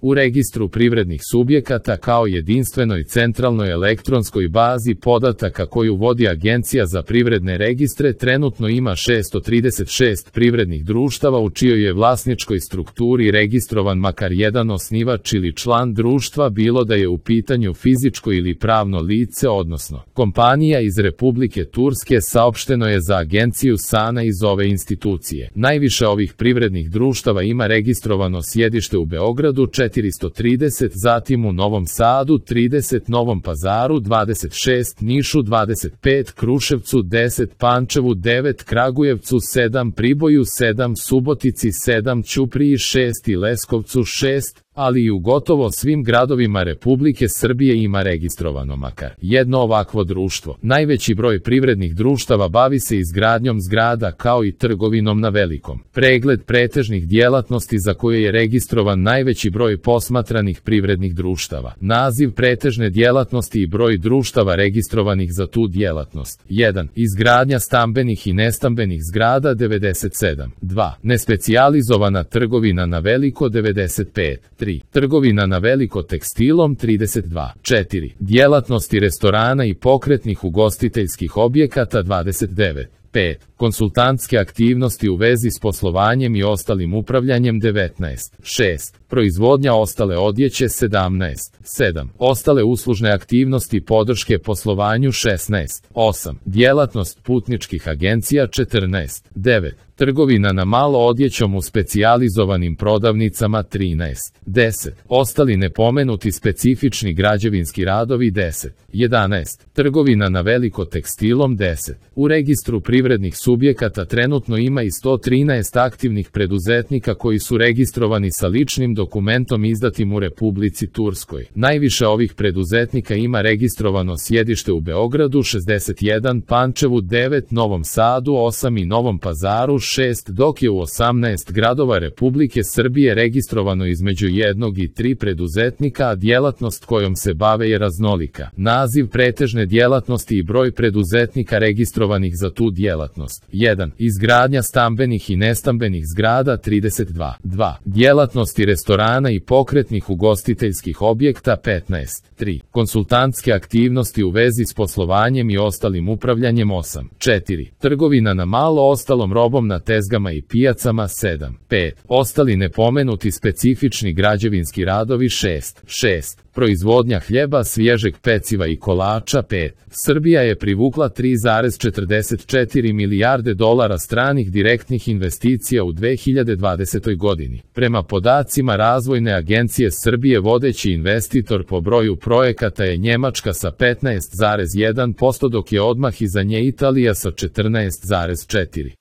U registru privrednih subjekata kao jedinstvenoj centralnoj elektronskoj bazi podataka koju vodi Agencija za privredne registre trenutno ima 636 privrednih društava u čijoj je vlasničkoj strukturi registrovan makar jedan osnivač ili član društva, bilo da je u pitanju fizičko ili pravno lice, odnosno kompanija iz Republike Turske, saopšteno je za agenciju SANA iz ove institucije. Najviše ovih privrednih društava ima registrovano sjedište u Beogradu 430, zatim u Novom Sadu 30, Novom Pazaru 26, Nišu 25, Kruševcu 10, Pančevu 9, Kragujevcu 7, Priboju 7, Subotici 7, Ćupriji 6 i Leskovcu 6, ali i u gotovo svim gradovima Republike Srbije ima registrovano makar jedno ovakvo društvo. Najveći broj privrednih društava bavi se izgradnjom zgrada kao i trgovinom na velikom. Pregled pretežnih djelatnosti za koje je registrovan najveći broj posmatranih privrednih društava. Naziv pretežne djelatnosti i broj društava registrovanih za tu djelatnost. 1. Izgradnja stambenih i nestambenih zgrada 97. 2. Nespecijalizovana trgovina na veliko 95. 3. Trgovina na veliko tekstilom 32. 4. Djelatnosti restorana i pokretnih ugostiteljskih objekata 29. 5. Konsultantske aktivnosti u vezi s poslovanjem i ostalim upravljanjem 19. 6. Proizvodnja ostale odjeće 17. 7. Ostale uslužne aktivnosti podrške poslovanju 16. 8. Djelatnost putničkih agencija 14. 9. Trgovina na malo odjećom u specijalizovanim prodavnicama 13. 10. Ostali nepomenuti specifični građevinski radovi 10. 11. Trgovina na veliko tekstilom 10. U registru privrednih subjekata trenutno ima i 113 aktivnih preduzetnika koji su registrovani sa ličnim dokumentom izdatim u Republici Turskoj. Najviše ovih preduzetnika ima registrovano sjedište u Beogradu 61, Pančevu 9, Novom Sadu 8 i Novom Pazaru 6, dok je u 18 gradova Republike Srbije registrovano između 1 i 3 preduzetnika, a djelatnost kojom se bave je raznolika. Naziv pretežne djelatnosti i broj preduzetnika registrovanih za tu djelatnost. 1. Izgradnja stambenih i nestambenih zgrada 32. 2. Djelatnosti restorana i pokretnih ugostiteljskih objekta 15. 3. Konsultantske aktivnosti u vezi s poslovanjem i ostalim upravljanjem 8. 4. Trgovina na malo ostalom robom na tezgama i pijacama 7. 5. Ostali nepomenuti specifični građevinski radovi 6. 6. Proizvodnja hljeba, svježeg peciva i kolača 5. Srbija je privukla 3,44 milijarde dolara stranih direktnih investicija u 2020. godini. Prema podacima Razvojne agencije Srbije, vodeći investitor po broju projekata je Njemačka sa 15,1%, dok je odmah iza nje Italija sa 14,4%.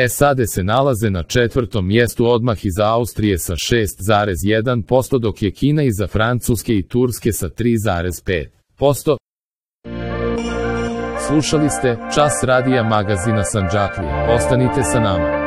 SAD se nalaze na 4. mjestu odmah iza Austrije sa 6,1%, dok je Kina iza Francuske i Turske sa 3,5%. Slušali ste Čas radija magazina Sandžaklija. Ostanite sa nama.